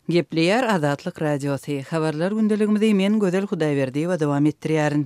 Gepleýär Azatlyk Radiosy. Habarlar gündeligimizi men Gözel Hudaýberdiýewa dowam etdirýärin.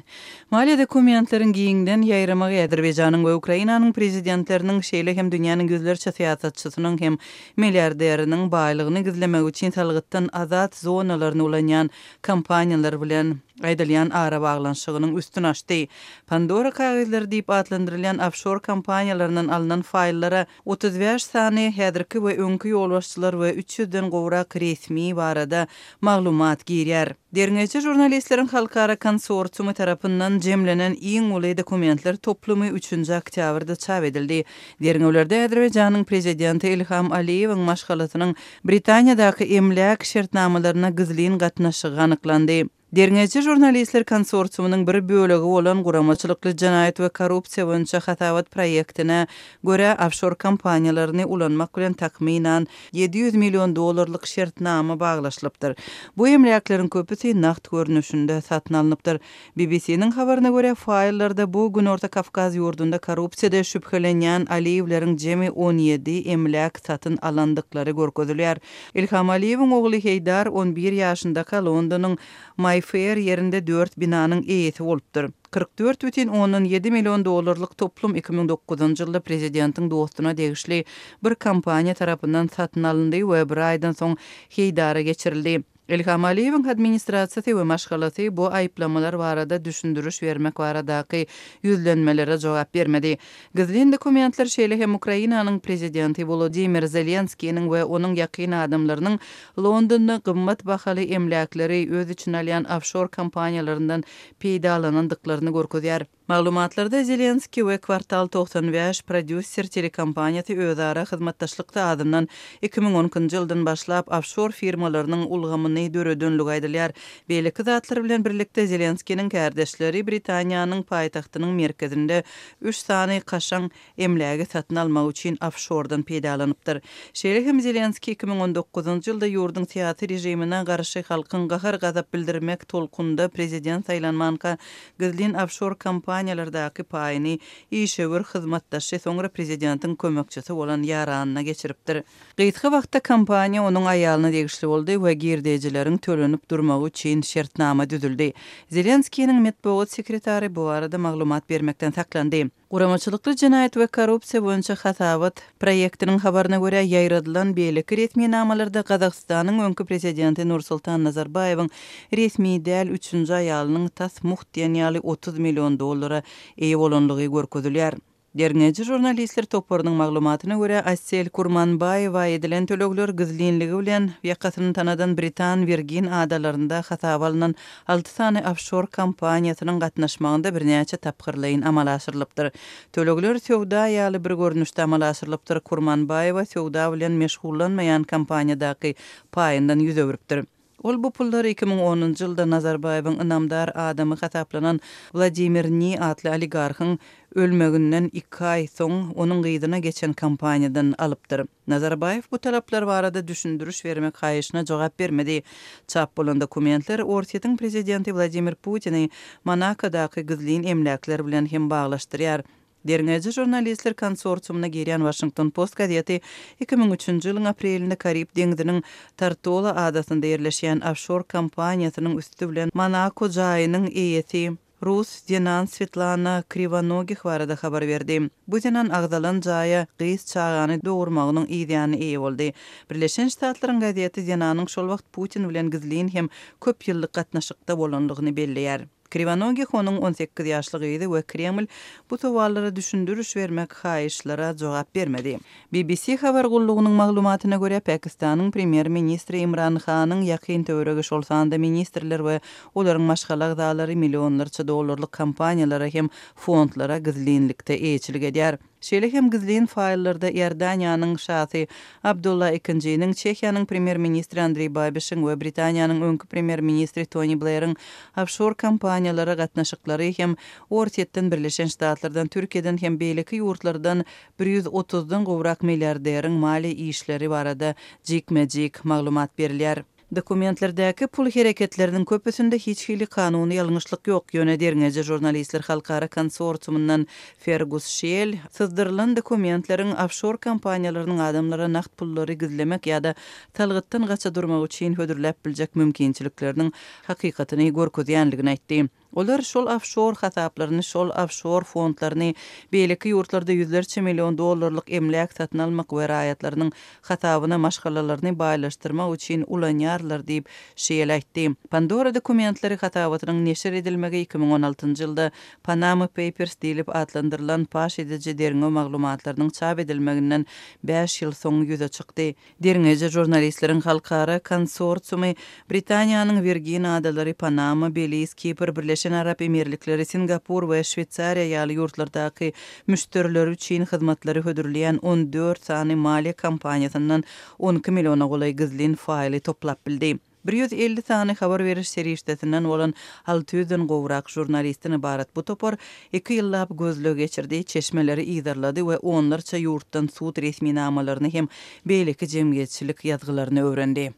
Maliýe dokumentleriň giňden ýaýramagy Azerbaýjanyň we Ukrainanyň prezidentleriniň, şeýle hem dünýäniň ýüzlerçe syýasatçysynyň hem milliarderiniň baýlygyny gizlemek üçin salgytdan azat zonalaryny ulanýan kompaniýalar bilen aýdylýan arabaglanyşygynyň üstüni açdy. Pandora kagyzlary diýip atlandyrylýan ofşor kompaniýalaryndan alnan faýllara 35 sany häzirki we öňki ýolbaşçylar we üç ýüzden gowrak resmi barada maglumat girýär. Derňewçi žurnalistleriň halkara konsorsiumy tarapyndan jemlenen iň uly dokumentler toplumy üçünji oktýabrda çap edildi. Derňewlerde Azerbaýjanyň prezidenti Ilham Aliýewiň maşgalasynyň Britaniýadaky emläk şertnamalaryna gizlin gatnaşygy anyklandy. Derňewçi žurnalistler konsorsiumynyň bir bölegi bolan Guramaçylykly jenaýat we korrupsiýa boýunça hasabat proýektine görä, ofşor kompaniýalaryny ulanmak bilen takmynan 700 million dollarlyk şertnama baglaşylypdyr. Bu emläkleriň köpüsi nagt görnüşinde satyn alnypdyr. BBC-niň habaryna görä, faýllarda bu Günorta Kawkaz ýurdunda korrupsiýada şübhelenýän Aliýewleriň jemi 17 emläk satyn alandyklary görkezilýär. Ilham Aliýewiň ogly Heýdar on bir ýaşyndaka Londonyň Maýfeýr ýerinde dört binanyň eýesi bolupdyr. 44,7 million dollarlyk toplum 2009-njy ýylda prezidentiň dostuna degişli bir kompaniýa tarapyndan satyn alyndy we bir aýdan soň Heýdara geçirildi. Ilham Aliýewiň administrasiýasy we maşgalasy bu aýyplamalar barada düşündiriş bermek baradaky ýüzlenmelere jogap bermedi. Gizlin dokumentler şeýle hem Ukrainanyň prezidenti Wolodymyr Zelenskiniň we onuň ýakyn adamlarynyň Londonda gymmat bahaly emläkleri öz içine alýan ofşor kompaniýalaryndan peýdalanandyklaryny görkezýär. Maglumatlarda Zelenskiý we Kwartal 95 prodýuser telekompaniýasy özara hyzmatdaşlykda azyndan 2012-nji ýyldan başlap ofşor firmalarynyň ulgamyny döredenligi aýdylýar. Beýleki zatlar bilen birlikde Zelenskiniň kärdeşleri Britaniýanyň paýtagtynyň merkezinde üç sany kaşaň emlägi satyn almak üçin ofşordan peýdalanypdyr. Şeýle hem Zelenskiý 2019-njy ýylda ýurduň syýasy režimine garşy halkyň gahar-gazap bildirmek tolkunynda prezident saýlanmanka gizlin ofşor kompaniýalardaky paýyny işewür hyzmatdaşy, soňra prezidentiň kömekçisi bolan ýaranyna geçiripdir. Gysga wagtda kompaniýa onuň aýalyna degişli boldy we girdejileriň tölenip durmagy üçin şertnama düzüldi. Zelenskiniň metbugat sekretary bu barada maglumat bermekden saklandy. Guramaçylykly jenaýat we korrupsiýa boýunça hasabat proýektiniň habaryna görä, ýaýradylan beýleki resminamalarda Gazagystanyň öňki prezidenti Nursultan Nazarbaýewiň resmi däl üçünji aýalynyň tas mugt diýen ýaly 30 million dollara eýe bolanlygy görkezilýär. Derňeýji žurnalistler toparynyň maglumatyna görä, Asel Kurmanbaýewa edilen tölegler gizlinligi bilen ýakasyny tanadan Britan Wirgin adalarynda hasaba alnan alty sany ofşor kompaniýasynyň gatnaşmagynda birnäçe tapgyrlaýyn amala aşyrylypdyr. Tölegler söwda ýaly bir görnüşde amala aşyrylypdyr, Kurmanbaýewa söwda bilen meşgullanmaýan kompaniýadaky paýyndan ýüz öwrüpdir. Ol bu pullary 2010-njy ýylda Nazarbaýewiň ynamdar adamy hasaplanan Wladimir Ni atly oligarhyň ölmeginden iki aý soň onuň gyzyna geçen kompaniýadan alypdyr. Nazarbaýew bu talaplar barada düşündiriş bermek haýyşyna jogap bermedi. Çap bolan dokumentler Orsýetiň prezidenti Wladimir Putini Monakodaky gizlin emläkler bilen hem baglaşdyrýar. Derňeýji žurnalistler konsorsiumyna girýän Waşington Post gazeti 2003-nji ýylyň aprelinde Karib deňziniň Tortola adasynda ýerleşýän ofşor kompaniýasynyň üsti bilen Monako jaýynyň eýesi rus zenan Swetlana Kriwonogih barada habar berdi. Bu zenan agzalan jaýa gyz çagany dogurmagynyň yzýany eýe boldy. Birleşen Ştatlaryň gazeti zenanyň şol wagt Putin bilen gizlin hem köp ýyllyk gatnaşykda bolanlygyny belleýär. Kriwonogih onuň 18 ýaşly gyzy we Kreml bu sowallara düşündiriş bermek haýyşlara jogap bermedi. BBC habar gullugynyň maglumatyna görä, Pakistanyň premýer-ministri Imran Hanyň ýakyn töweregi, şol sanda ministrler we olaryň maşgala agzalary millionlarça dollarlyk kompaniýalara hem fondlara gizlinlikde eýeçilik edýär. Şeýle hem gizlin faýllarda Iordaniýanyň şasy Abdulla II-niň, Çehiýanyň premýer-ministri Andreý Babişiň we Britaniýanyň öňki premýer-ministri Toni Bleriň ofşor kompaniýalara gatnaşyklary hem Orsýetden, Birleşen Ştatlardan, Türkiýeden hem beýleki ýurtlardan 130-dan gowrak milliarderiň maliýe işleri barada jikme-jik maglumat berilýär. Dokumentlerdäki pul hereketleriniň köpüsinde hiç hili kanuny ýalňyşlyk ýok, ýöne derňeýji žurnalistler halkara konsorsiumyndan Fergus Şiel syzdyrylan dokumentleriň ofşor kompaniýalarynyň adamlara nagt pullary gizlemek ýa-da salgytdan gaça durmak üçin hödürläp biljek mümkinçilikleriniň hakykatyny görkezýändigini aýtdy. Olar şol ofşor hasaplaryny, şol ofşor fondlaryny beýleki ýurtlarda ýüzlerçe million dollarlyk emläk satyn almak we raýatlarynyň hasabyna maşgalalaryny baýlaşdyrmak üçin ulanýarlar diýip, Şiel aýtdy. Pandora dokumentleri hasabatynyň neşir edilmegi 2016-njy ýylda Panama Papers diýlip atlandyrylan paş ediji derňew maglumatlarynyň çap edilmeginden bäş ýyl soň ýüze çykdy. Derňeýji žurnalistleriň halkara konsorsiumy Britaniýanyň Wirgin adalary, Panama, Beliz, Kipr, Birleşen Arap Emirlikleri, Singapur we Şweýsariýa ýaly ýurtlardaky müşderileri üçin hyzmatlary hödürleýän 14 sany maliýe kompaniýasyndan 12 milliona golaý gizlin faýly toplap bildi. 150 sany habar beriş serişdesinden bolan alty ýüzden gowrak žurnalistden ybarat bu topar iki ýyllap gözleg geçirdi, çeşmeleri yzarlady we onlarça ýurtdan sud resminamalaryny hem beýleki jemgyýetçilik ýazgylaryny öwrendi.